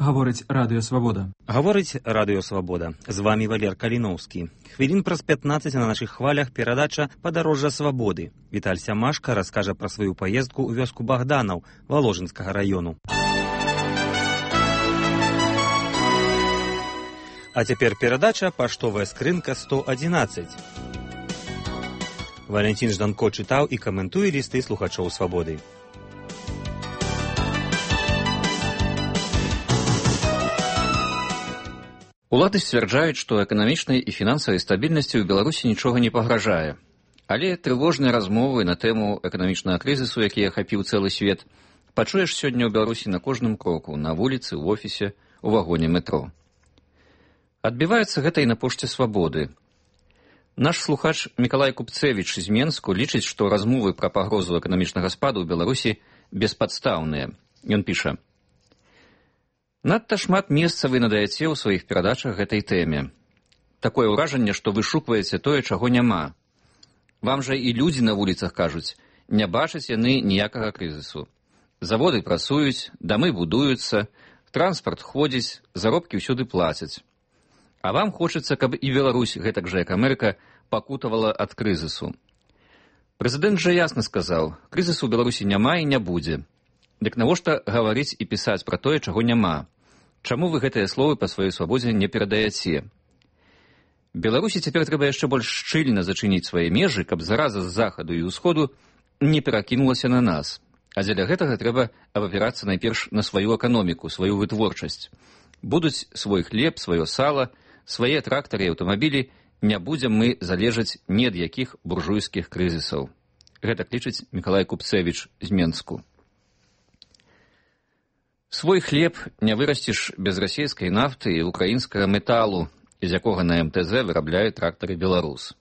Гаворыць Радыё Свабода. Гаворыць Радыё Свабода. З вамі Валер Каліноўскі. Хвілін праз 15 на нашых хвалях перадача «Падарожжа свабоды». Віталь Сямашка раскажа пра сваю паездку ў вёску Богданаў Воложынскага раёну. А цяпер перадача «Паштовая скрынка 111». Валентин Жданко чытаў і каментуе лісты слухачоў Свабоды. Улады сцвярджаюць, што эканамічнай і фінансавай стабільнасці ў Беларусі нічога не пагражае. Але трывожныя размовы на тэму эканамічнага крызісу, які ахапіў цэлы свет, пачуеш сёння ў Беларусі на кожным кроку, на вуліцы, ў офісе, у вагоне метро. Адбіваецца гэта і на пошце Свабоды. Наш слухач Мікалай Купцевіч з Менску лічыць, што размовы пра пагрозу эканамічнага спаду ў Беларусі беспадстаўныя. Ён піша: «Надта шмат месца вы надаяце ў сваіх перадачах гэтай тэме. Такое ўражанне, што вышукваеце тое, чаго няма. Вам жа і людзі на вуліцах кажуць, не бачаць яны ніякага крызісу. Заводы працуюць, дамы будуюцца, транспарт ходзіць, заробкі ўсюды плацяць. А вам хочацца, каб і Беларусь, гэтак жа як Амерыка, пакутавала ад крызісу. Прэзідэнт жа ясна сказаў, крызісу ў Беларусі няма і не будзе. Дык навошта гаварыць і пісаць пра тое, чаго няма? Чаму вы гэтыя словы па сваёй свабодзе не перадаяце? Беларусі цяпер трэба яшчэ больш шчыльна зачыніць свае межы, каб зараза з захаду і ўсходу не перакінулася на нас. А дзеля гэтага трэба абапірацца найперш на сваю эканоміку, сваю вытворчасць. Будуць свой хлеб, сваё сала, свае трактары і аўтамабілі, не будзем мы залежаць ні ад якіх буржуйскіх крызісаў». Гэта лічыць Мікалай Купцевіч з Менску. Свой хлеб не вырасціш без расійскай нафты і украінскага металу, з якога на МТЗ вырабляюць трактары «Беларус».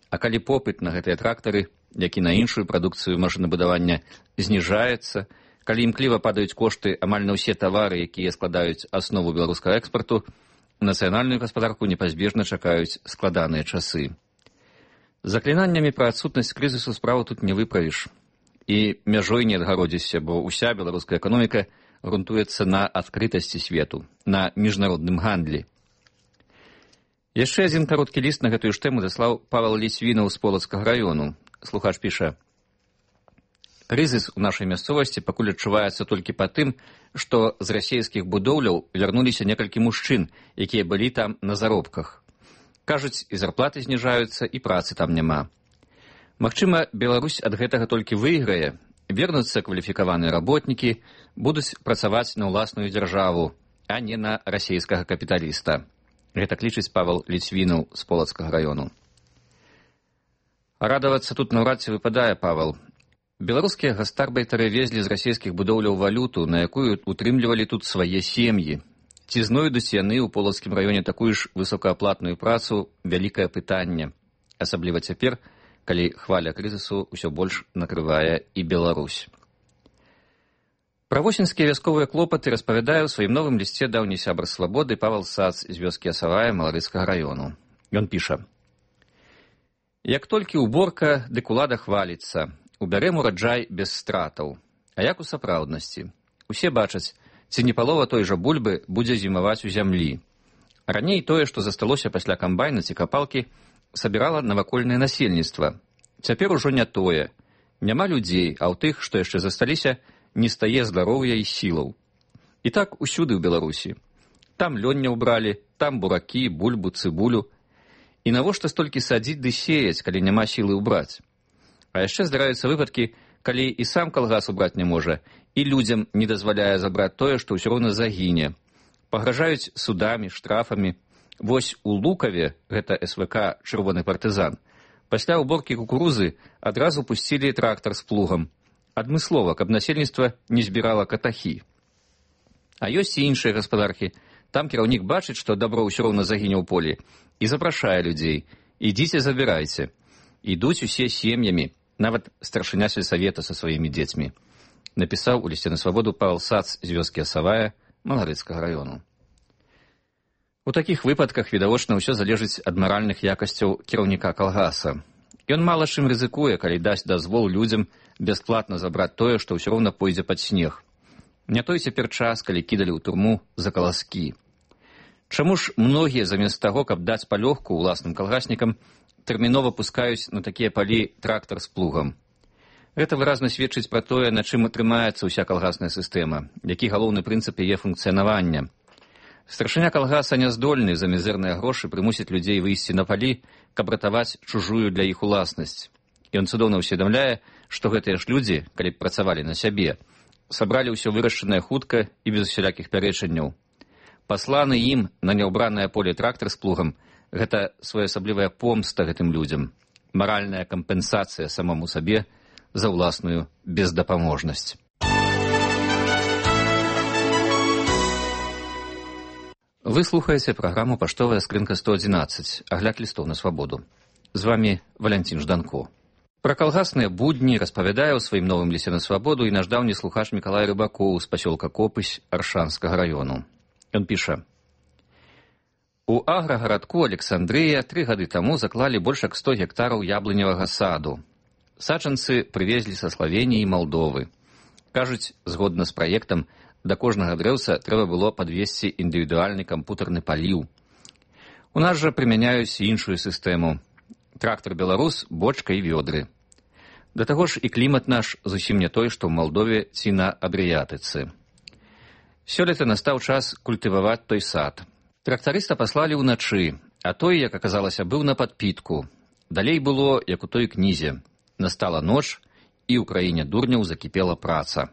А калі попыт на гэтыя трактары, як і на іншую прадукцыю машынабудавання, зніжаецца, калі імкліва падаюць кошты амаль на ўсе тавары, якія складаюць аснову беларускага экспарту, нацыянальную гаспадарку непазбежна чакаюць складаныя часы. Заклінаннямі пра адсутнасць крызісу справу тут не выправіш. І мяжой не адгародзішся, бо ўся беларуская эканоміка грунтуецца на адкрытасці свету, на міжнародным гандлі. Яшчэ адзін кароткі ліст на гэтую ж тэму даслаў Павел Ліцвінаў з Полацкага раёну. Слухач піша: «Крызіс у нашай мясцовасці пакуль адчуваецца толькі па тым, што з расійскіх будоўляў вярнуліся некалькі мужчын, якія былі там на заробках. Кажуць, і зарплаты зніжаюцца, і працы там няма. Магчыма, Беларусь ад гэтага толькі выйграе, вернуцца кваліфікаваныя работнікі, будуць працаваць на ўласную дзяржаву, а не на расійскага капіталіста». Гэта лічыць Павел Ліцвінаў з Полацкага раёну. Радавацца тут наўрад ці выпадае, Павел. Беларускія гастарбайтары везлі з расійскіх будоўляў валюту, на якую утрымлівалі тут свае сем'і. Ці знойдуць яны ў Полацкім раёне такую ж высокааплатную працу — вялікае пытанне. Асабліва цяпер, калі хваля крызісу ўсё больш накрывае і Беларусь. Пра восеньскія вясковыя клопаты распавядае ў сваім новым лісце даўні сябар Свабоды Павел Сац з вёскі Асавая Маларыцкага раёну. Ён піша: «Як толькі ўборка, дык улада хваліцца. Убярэм ураджай без стратаў. А як у сапраўднасці? Усе бачаць, ці не палова той жа бульбы будзе зімаваць у зямлі. Раней тое, што засталося пасля камбайна ці капалкі, сабірала навакольнае насельніцтва. Цяпер ужо не тое. Няма людзей, а ў тых, што яшчэ засталіся, не стае здароўя і сілаў. І так усюды ў Беларусі. Там лёння ўбралі, там буракі, бульбу, цыбулю. І навошта столькі садзіць ды сеяць, калі няма сілы ўбраць? А яшчэ здараюцца выпадкі, калі і сам калгас убраць не можа, і людзям не дазваляе забраць тое, што ўсё роўна загіне. Пагражаюць судамі, штрафамі. Вось у Лукаве, гэта СВК «Чырвоны партызан», пасля ўборкі кукурузы адразу пусцілі трактар з плугам. Адмыслова, каб насельніцтва не збірала катахі. А ёсць і іншыя гаспадаркі. Там кіраўнік бачыць, што дабро ўсё роўна загіне ў полі, і запрашае людзей: «Ідзіце, забірайце». Ідуць усе сем'ямі, нават старшыня сельсавета са сваімі дзецьмі. Напісаў у лісце на Свабоду Павел Сац з вёскі Асавая Маларыцкага раёну. У такіх выпадках, відавочна, ўсё залежыць ад маральных якасцяў кіраўніка калгаса. Ён мала чым рызыкуе, калі дасць дазвол людзям бясплатна забраць тое, што ўсё роўна пойдзе пад снег. Не той цяпер час, калі кідалі ў турму за каласкі. Чаму ж многія замест таго, каб даць палёгку ўласным калгаснікам, тэрмінова пускаюць на такія палі трактар з плугам? Гэта выразна сведчыць пра тое, на чым трымаецца ўся калгасная сістэма, які галоўны прынцып яе функцыянавання. Старшыня калгаса няздольны за мізэрныя грошы прымусіць людзей выйсці на палі, каб ратаваць чужую для іх уласнасць. Ён цудоўна ўсведамляе, што гэтыя ж людзі, калі б працавалі на сябе, сабралі ўсё вырашчанае хутка і без усялякіх пярэчанняў. Пасланы ім на няўбранае поле трактар з плугам – гэта своеасаблівая помста гэтым людзям, маральная кампенсацыя самому сабе за ўласную бездапаможнасць. Вы слухаеце праграму «Паштовая скрынка 111», агляд лістоў на свабоду. З вамі Валянцін Жданко. Пра калгасныя будні распавядае ў сваім новым лісце на свабоду і наш даўні слухач Мікалай Рыбакоў з пасёлка Копысь Аршанскага раёну. Ён піша: У аграгарадку Александрыя 3 гады таму заклалі больш як 100 гектараў яблыневага саду. Саджанцы прывезлі са Славеніі і Малдовы. Кажуць, згодна з праектам, да кожнага дрэўца трэба было падвесці індывідуальны кампутарны паліў. У нас жа прымяняюць іншую сістэму. Трактар «Беларус», бочка і вёдры. Да таго ж і клімат наш зусім не той, што ў Малдове ці на Адрыятыцы. Сёлета настаў час культываваць той сад. Трактарыста паслалі ўначы, а той, як аказалася, быў на падпітку. Далей было, як у той кнізе. Настала ноч, і ў краіне дурняў закіпела праца.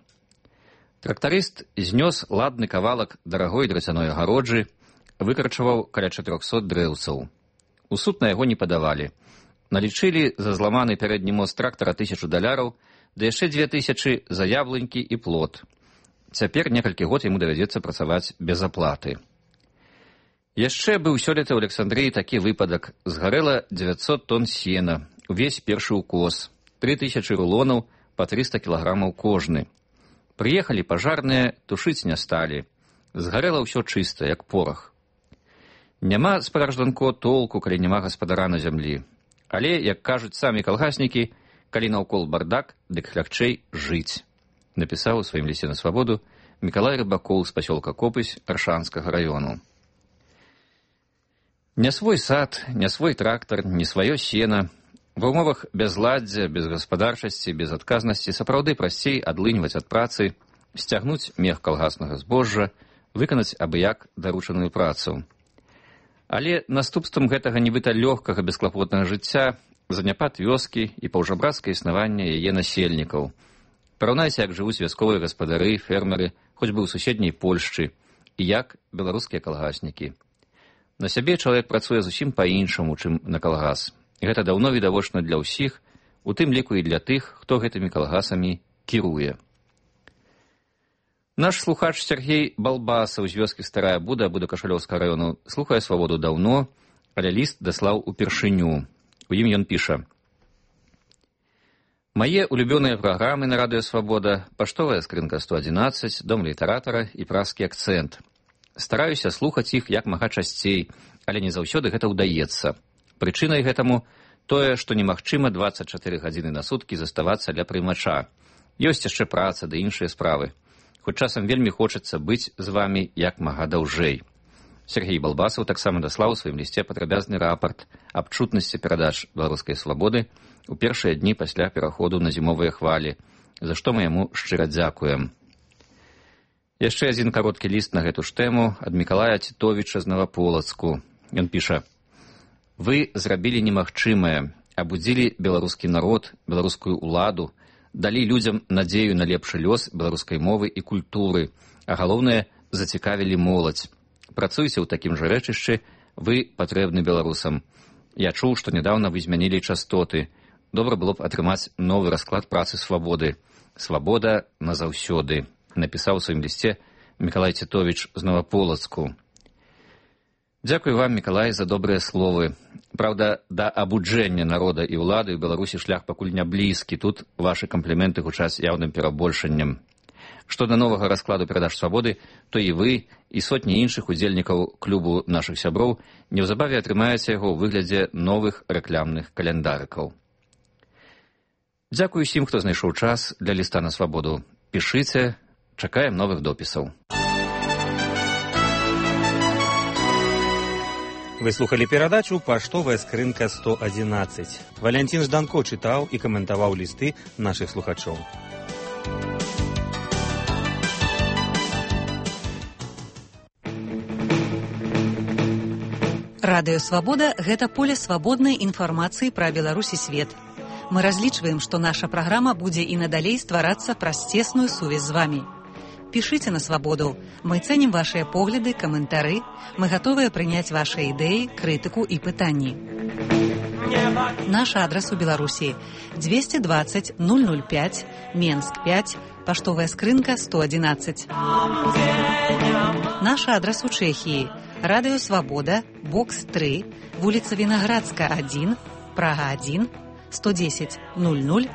Трактарыст знёс ладны кавалак дарагой драцяной агароджы, выкарчаваў каля 400 дрэўцаў. У суд на яго не падавалі. Налічылі за зламаны пярэдні мост трактара $1000, да яшчэ 2000 за яблынькі і плод. Цяпер некалькі год яму давядзецца працаваць без аплаты. Яшчэ быў сёлета ў Александрыі такі выпадак. Згарэла 900 тонн сена, увесь першы ўкос, 3000 рулонаў па 300 кілаграмаў кожны. Прыехалі пажарныя, тушыць не сталі. Згарэла ўсё чыста, як порах. Няма, спадаржданко, толку, калі няма гаспадара на зямлі. Але, як кажуць самі калгаснікі, калі наўкол бардак, дык лягчэй жыць. Напісаў у сваім лісце на свабоду Мікалай Рыбакоў з пасёлка Копысь Аршанскага раёну. Не свой сад, не свой трактар, не сваё сена. Ва ўмовах бязладдзя, безгаспадарчасці, безадказнасці сапраўды прасцей адлыньваць ад працы, сцягнуць мех калгаснага збожжа, выканаць абы-як даручаную працу. Але наступствам гэтага нібыта лёгкага бесклапотнага жыцця заняпад вёскі і паўжабрацкае існаванне яе насельнікаў. Параўнайце, як жывуць вясковыя гаспадары, фермеры, хоць бы ў суседняй Польшчы, і як беларускія калгаснікі. На сябе чалавек працуе зусім па-іншаму, чым на калгас. Гэта даўно відавочна для ўсіх, у тым ліку і для тых, хто гэтымі калгасамі кіруе. Наш слухач Сергей Балбасаў з вёскі Старая Буда Будакашалёўскага раёну слухае свабоду даўно, але ліст даслаў упершыню. У ім ён піша: Мае улюбёныя праграмы на радыё «Свабода», паштовая скрынка 111, дом літаратара і празкі акцэнт. Стараюся слухаць іх як мага часцей, але не заўсёды гэта ўдаецца. Прычынай гэтаму тое, што немагчыма 24 гадзіны на суткі заставацца ля прымача. Ёсць яшчэ праца ды іншыя справы. Хоць часам вельмі хочацца быць з вамі як мага даўжэй. Сергей Балбасаў таксама даслаў у сваім лісце падрабязны рапарт аб чутнасці перадач «Беларускай свабоды» у першыя дні пасля пераходу на зімовыя хвалі, за што мы яму шчыра дзякуем. Яшчэ адзін кароткі ліст на гэту ж тэму ад Мікалая Цітовіча з Наваполацку. Ён піша: Вы зрабілі немагчымае, абудзілі беларускі народ, беларускую ўладу, далі людзям надзею на лепшы лёс беларускай мовы і культуры, а галоўнае, зацікавілі моладзь. Працуйце ў такім жа рэчышчы, вы патрэбны беларусам. Я чуў, што нядаўна вы змянілі частоты. Добра было б атрымаць новы расклад працы «Свабоды». «Свабода назаўсёды», напісаў у сваім лісце Мікалай Цітовіч з Наваполацку. Дзякуй вам, Мікалай, за добрыя словы. Праўда, да абуджэння народа і ўлады ў Беларусі шлях пакуль не блізкі. Тут вашы кампліменты гучаць яўным перабольшаннем. Што да новага раскладу перадач «Свабоды», то і вы, і сотні іншых удзельнікаў клубу нашых сяброў неўзабаве атрымаеце яго ў выглядзе новых рэклямных каляндарыкаў. Дзякуй усім, хто знайшоў час для ліста на свабоду. Пішыце, Чакаем новых допісаў. Вы слухали перадачу «Паштовая скрынка 111». Валянцін Жданко чытаў і каментаваў лісты нашых слухачоў. Радыё «Свабода» – гэта поле свабоднай інфармацыі пра Беларусь і свет. Мы разлічваем, што наша праграма будзе і надалей стварацца праз цесную сувязь з вамі. Пішыце на «Свабоду». Мы цэнім вашыя погляды, каментары. Мы гатовыя прыняць вашыя ідэі, крытыку і пытанні. Наш адрас у Беларусі 220 005, Менск 5, паштовая скрынка 111. Наш адрас у Чэхіі Радыё «Свабода», бокс 3, вуліца Вінаградска 1, Прага 1, 110 00